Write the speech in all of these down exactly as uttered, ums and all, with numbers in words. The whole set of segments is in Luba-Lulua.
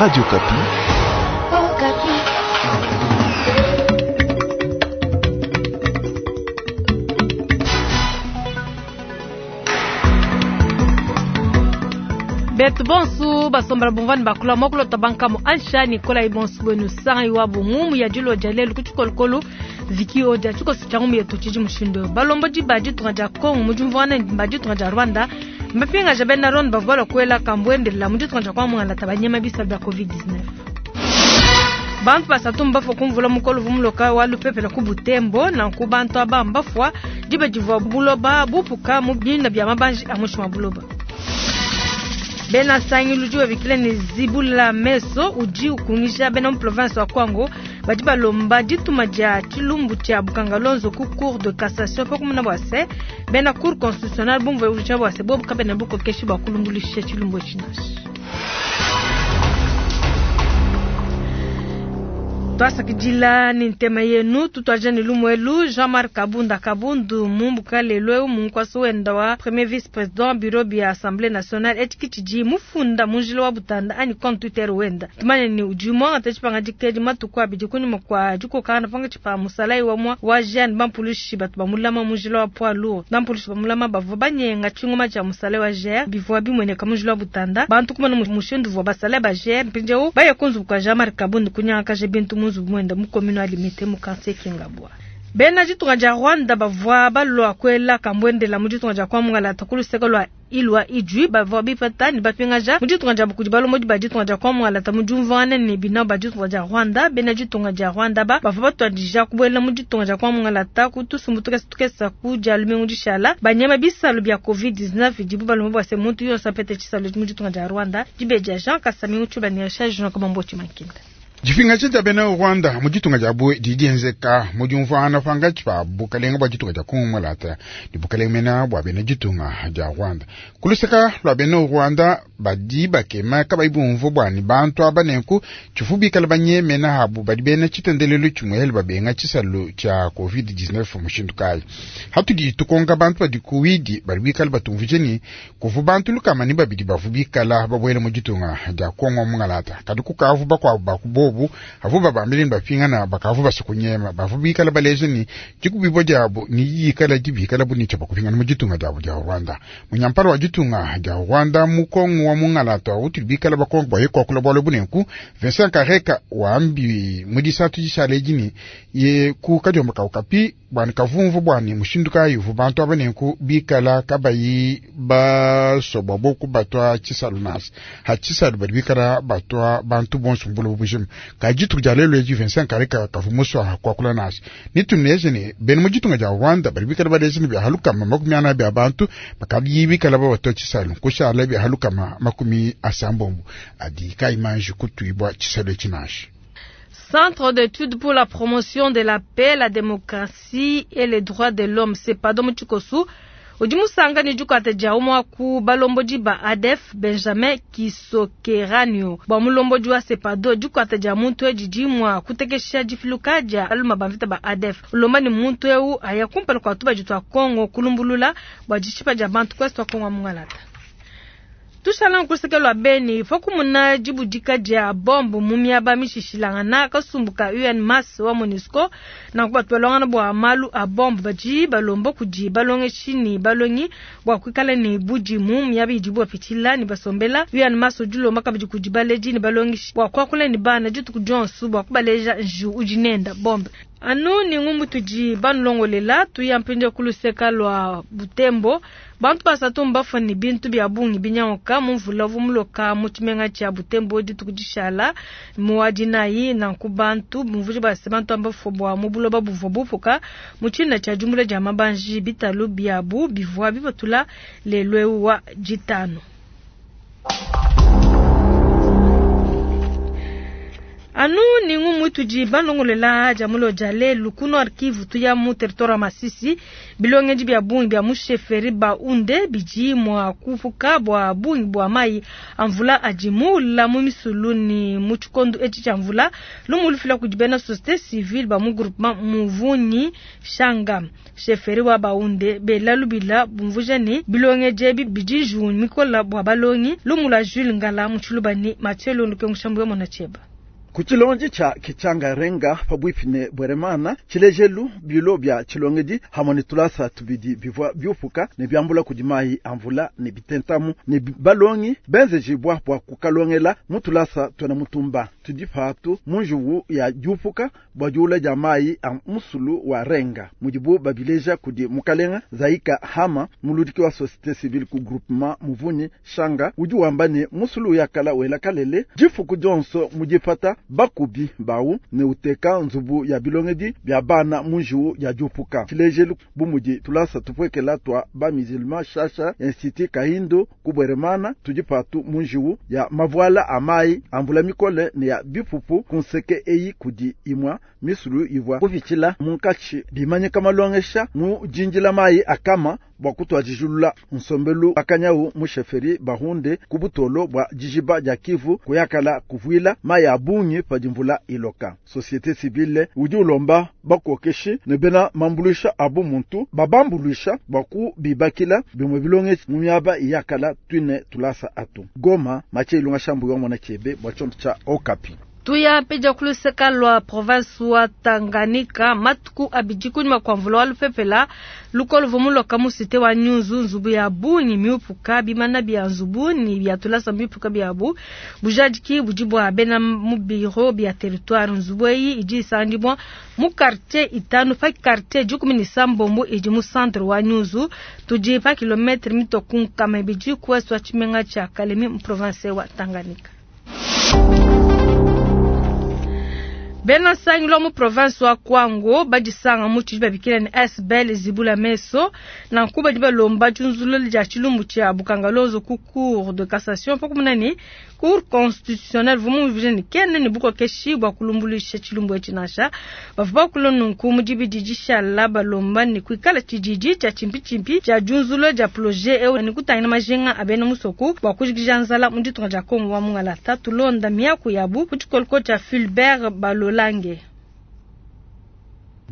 Radio Okapi. Okapi. Betu bonsu basombela bumvani bakula mokulota bankamu ansha nikola ibonsu bwenu sanga iwabu ngumu ya dilo dia lelu ku tshikolokolo viki odia tshikoso tshia ngumu yetu tshidi mushindu balombo diba ditunga dia Kongo mu diumvuangana ne ditunga dia Rwanda mbapingaja bena Rwanda bavua balua kuela kambuendelela mu ditunga dia kuamungala banyema bisa bia covid dix-neuf. Bantu basatu mbafua kumvula mukolo vumuloka wa lupepele ku Butembo nanku bantu aba mbafua diba divua buloba bupuka mu bina bia mabanji a mushi buloba. Bena sangilu udi wabikila ne zibula meso udi ukungisha bena mu province wa Kwango badi balomba dituma dia tshilumbu tshia Bukangalonzo ku cour de cassation pa kumuna bua se bena cour constitutionnelle bumvue uja bua se bobu kabena bukokeshi bua kulumbulisha tshilumbu tshinashi. Twasakidila ni ntema yenu tutwaja ni lumwelu Jean-Marc Kabunda Kabundu mumbuka lelo munkwasi wenda wa premier vice-président bureau bia Assemblée nationale etikichiji mufunda munjila wa butanda ani compte Twitter wenda tumanya ni udi mwanga tachipanga dikedi matuku abidi kunyuma kwa dikokana panga chipa musalai wa mwa wa Jean Bampulushi batu bamulama munjila wa poids lourd Bampulushi bamulama bavua banyenga chingoma cha musalai wa G R bivua bimweneka munjila wa butanda bantu kumana mushindu vua basalai ba G R mpinjeo baya kunzubuka Jean-Marc Kabundu kunyanga kaje bintu mwenda mukomino alimite mukanse kingabwa. Bena ditunga dia Rwanda bavua balua kuela kambwendela mu ditunga dia kwamungala takuluseka lwa ilwa ijwi bavua bipata ni bapingaja mu ditunga dia bukudi balomo ba ditunga dia kwamungala ta mu diumvuangana ne bina ba ditunga dia Rwanda bena ditunga dia Rwanda ba bavua batuadija kubuela mu ditunga dia kwamungala ta kutusumbu tukesa tukesa ku dia lumingu dishala banyama bisalu bia covid dix-neuf dibu balomo bua se muntu yonso apete tshisalu mu ditunga dia Rwanda dibeja Jean Kasami utshuba ne Richard Jean Kamambo Chimankinda. Dipingaja dia bena Rwanda mu ditunga dia bue didi dienzeka mu diumvuangana pankatshi pa bukalenga bua ditunga dia Kongo mulata ne bukalenga mena bua bena ditunga dia Rwanda. Kuluseka lua bena Rwanda badi bakema kabayi bumvua bua ne bantu aba nenku tshifu bikala banyemena habu badi bena tshitendelelu tshimuele babenga tshisalu tshia covid dix-neuf mushindu kayi. Hatudi tukonka bantu badi kuwidi badi bikala batumvuje ni kuvu bantu lukama ni babidi bavu bikala babuele mu ditunga dia Kongo mungalata kadi kukavu bakuabu bakubo avu babambile bapingana bakavu basukunyema bavu bikala baleje ni dikubibo diabo ni yikala dibikala bunicha bakupingana mu ditunga diabo dia Rwanda. Munyampala wa ditunga dia Rwanda mukongo wa mungalata utuli bikala bakongo baye kwakula bwalo bunenku Vincent Kareka wambi mudisatu dishale dini ye ku kadiomba kaukapi bwana kavumvu bwani mushindu kayi vu bantu abanenku bikala kabayi basobwa boku batwa tshisalu nasi ha tshisalu badi bikala batwa bantu bonso mbulu bujima kajitu dia lelo eji Vincent Kareka kavumuswa kwakula nasi nitumneje ne bena mu ditunga dia Rwanda badi bikala baleje ne bia halukama makumi ana bia bantu bakadi bikala babatwa tshisalu kushala bia halukama makumi asambombo adi kaimanji kutuibwa tshisalu etshinashi. Centre d'études pour la promotion de la paix, la démocratie et les droits de l'homme, c'est Padom Tshikosu. Udi musanga ni dikata dia umwa ku balombodi ba A D F Benjamin Kisokeranio. Ba mulombodi wa Sepado dikata dia muntu edi dimwa kutekesha difiluka dia aluma bamvita ba A D F. Ulomba ni muntu eu aya kumpala kwa tuba jitwa Kongo kulumbulula bwa dishipa dia bantu kwesi wa Kongo mungalata. Tushala nkuseke lwa Beni fokumuna dibudika dia bombo mu miaba mishishilangana kasumbuka U N Mass wa MONUSCO na kubatwalangana bwa malu a bombo badi balombo kudi balongeshi ni balongi bwa kuikala ni budi mu miaba idibu bapitila ni basombela U N Mass udilomba kabidi kudi baleji ni balongeshi bwa kuakula ni bana dituku dionso bwa kubaleja nju udi nenda bombe. Anu ni ngumbu tudi banulongolela tuyampinja kuluseka lwa Butembo bantu basatu mbafua ni bintu bia bungi binyanguka mu mvula vumuloka mu tshimenga tshia Butembo dituku dishala muadinayi nanku bantu bumvuji base bantu ambafua bua mu buloba buvua bupuka mu tshina tshia jumbula dia mabanji bitalu biabu bivua bibatula lelwe wa jitano. Anu ni ngumu tudi balongolela dia mulo dia lelu ku Nord Kivu tuya mu territoire wa Masisi bilongendi bia bungi bia mu chefferie Bahunde bidi mua kupuka bua bungi bua mai a mvula adi muula mu misulu ni mu tshikondo etshi tshia mvula lumu lufila kudi bena société civile ba mu groupement Muvunyi Shanga chefferie wa Bahunde bela lubila bumvuja ni bilongendi ebi bidi njiwu mikola bua balongi lumu lua Jules Ngala mu Tshiluba ni Mathieu Londoke Mushambu mona tshieba. Ku tshilonji tsha Kitshanga-Renga pabuipi ne Bweremana tshilejelu bilo bia tshilongedi hamwe ne tulasa tubidi bivua biupuka ne biambula kudi mayi a mvula ne bitentamu ne balongi benzejibwa bua kukalongela mu tulasa twena mutumba tudi patu mu njuwu ya diupuka bua diula dia mayi a musulu wa Renga mudibu babileja kudi mukalenga Zaika Hama muludiki wa société civile ku groupement Muvunyi Shanga udi wamba ne musulu yakala wela kalele difuku dionso mudipata bakubi bawu ne uteka nzubu ya bilongedi bia bana mu njiwu ya diupuka tshilejelu bu mudi tulasa tupwekela twa ba musulman shasha institut Kahindo ku Bweremana tudi patu mu njiwu ya mavuala a mayi a mvula mikole ne ya bipupu ku nseke eyi kudi imwa misulu ivua kupitshila munkatshi bimanyika malongesha mu jinjila mayi akama bua kutuadijulula nsombelu akanyawu mu chefferie Bahunde ku butolo bua dijiba dia Kivu kuyakala kuvuila mayi a bungi padi mvula iloka. Société civile udi ulomba bakokeshi ne bena mambulusha abu muntu babambuluisha bua kubibakila bimue bilongeshi mu miaba iyakala twine tulasa atu. Goma Mathieu Ilunga Shambu wa mwana chebe bua tshiondo tsha Okapi. Tuya peja kuluseka lwa province wa Tanganyika matuku abidi kunyuma kwa mvula wa lupepela lukolo vomuloka mu cité wa Nyunzu nzubu ya bungi miupuka bimana bia nzubu ni bia tulasa miupuka biabu bujadiki budi bua bena mu bureau bia territoire nzubu eyi idi isangibwa mu quartier itanu pa quartier dikumi ni sambombo idi mu centre wa Nyunzu tudi pa kilometre mitoku nkama ibidi ku ouest wa tshimenga tshia Kalemi mu province wa Tanganyika. Bena sangilo mu province wa Kwango badisanga mu tshidi babikila ni S B L zibula meso na nkuba di balomba tshunzululu dia tshilumbu tshia bukangalozo ku cour de cassation pa kumuna ni cour constitutionnelle vumu vijeni kene ni bukokeshi bua kulumbulisha tshilumbu etshi nansha bavua bakula nunku mu dibidi dishala balomba ni kuikala tshididi tshia tshimpitshimpi tshia diunzulu dia projet eu ni kutangila majinga a bena musoku bua kujikija nzala mu ditunga dia Kongo wa mungalata tulonda miaku yabu ku tshikoloko tshia Fulbert Balolange.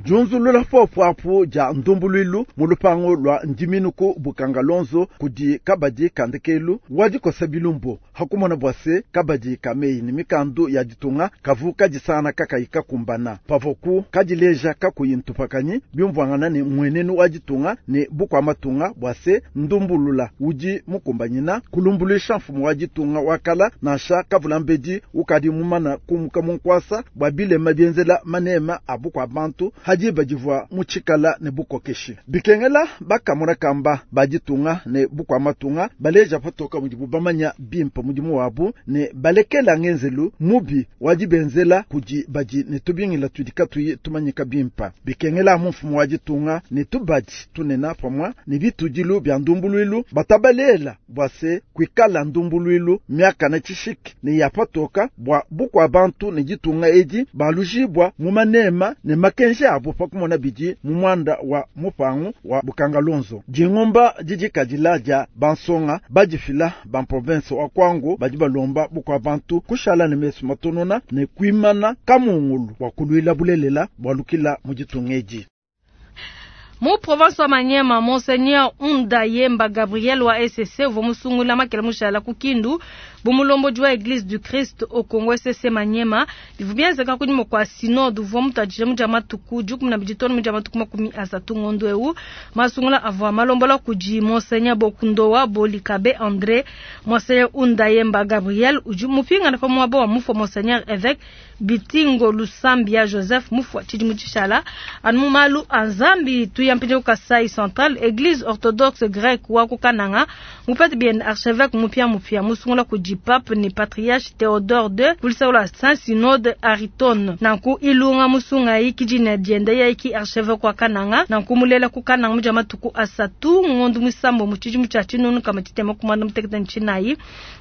Junzulula fofwafu ja ndumbuluilu mu lupango lwa ndiminuku bukangalonzo kudi kabadi kandekelu wadikosa bilumbu hakumona bwase kabadi kameyi ni mikandu ya ditunga kavu kadisana kakayi kakumbana pavoku kadileja kakuyi ntupakanyi byumvwangana ne mwenenu wa ditunga ne bukwa matunga bwase ndumbulula udi mukumbanyina kulumbulisha mfumu wa ditunga wakala nansha kavula mbedi ukadi mumana kumuka munkwasa bwa bilema byenzela manema a bukwa bantu hadi badivua mutshikala ne bukokeshi bikengela bakamona kamba baditunga ne bukwa matunga baleja patoka mudibu bamanya bimpa mudimu wabu ne balekela ngenzelu mubi wadibenzela kudi badi ne tubingila tudi katuyi tumanyika bimpa bikengela mu mfumu waditunga ne tubadi tunena pamwa ne bitudilu bya ndumbuluilu batabalela bwase kwikala ndumbuluilu miaka na tshishiki ne yapatoka bwa bukwa bantu ne ditunga edi balujibwa mu manema ne makenje abo pakumona bidi mu mwanda wa mupangu wa bukangalonzo dingomba didikadila dia bansonga badifila ba province wa Kwango badi balomba bukwa bantu kushala ne mesu matonona ne kuimana kamungulu wa kulwila bulelela bwalukila mu ditunga edi. Mu province wa Maniema, Monseigneur Unda Yemba Gabriel wa E C C uvua musungula makela mushala ku Kindu bumulombodi wa Église du Christ au Congo E C C Maniema bivua bienzeka kunyima kua synode uvua mutuadije mu dia matuku dikumi na bidi too ne mu dia matuku makumi asatu ngondo eu masungula avua malombola kudi Monseigneur Bokundowa Bolikabe André. Monseigneur Unda Yemba Gabriel udi mupingana pa muaba wa mufua Monseigneur évêque Bitingo Lusambia Joseph mufua tshidimu tshishala anu mu malu a Nzambi. Tuya mpindieu Kasai Central, Eglise Orthodoxe Grecque wa ku Kananga mupete biende archevêque mupia mupia musungula kudi pape ne patriarche Théodore deux kuluseke lua Saint Synode Ariton. Nanku Ilunga Musungayi ki dina diende yeye ki archevêque wa Kananga, nanku mulela ku Kananga mu dia matuku asatu ngondo muisambo mu tshidimu tshia tshinunu nkama tshitema ku muanda mutekete ne tshinayi.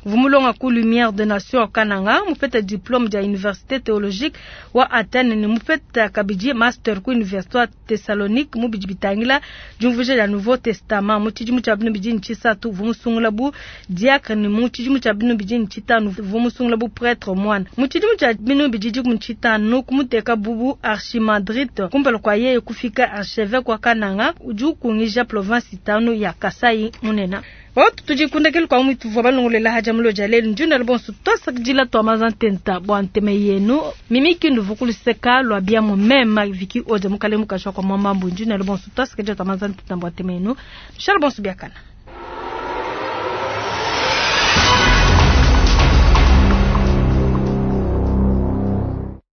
Uvua mulonga ku Lumière de Nation wa Kananga, mupete diplôme dia Université théologique wa Athènes ne mupete kabidi master ku Université wa Thessalonique mu bidi bitangila diumvuija dia Nouveau Testament. Mu tshidimu tshia binunu bibidi ne tshisatu uvua musungula bu diacre ne mu tshidimu tshia binunu bibidi ne tshitanu uvua musungula bu prêtre moine. Mu tshidimu tshia binunu bibidi dikumi ne tshitanu kumuteka bu bu archimandrite kumpala kua yeye kufika archevêque wa Kananga udi ukungija province itanu ya Kasai munene. Watu tudi kundekelu kwa mwitu vwa balongolela haja mulo ja lelu njunda bonso twasakidila twa mazantenta bwa nteme yenu mimi kindu vukuluseka lwa bia mu mema viki oja mukale mukashwa kwa mwamambu njunda bonso twasakidila twa mazantenta bwa nteme yenu shala bonso biakana.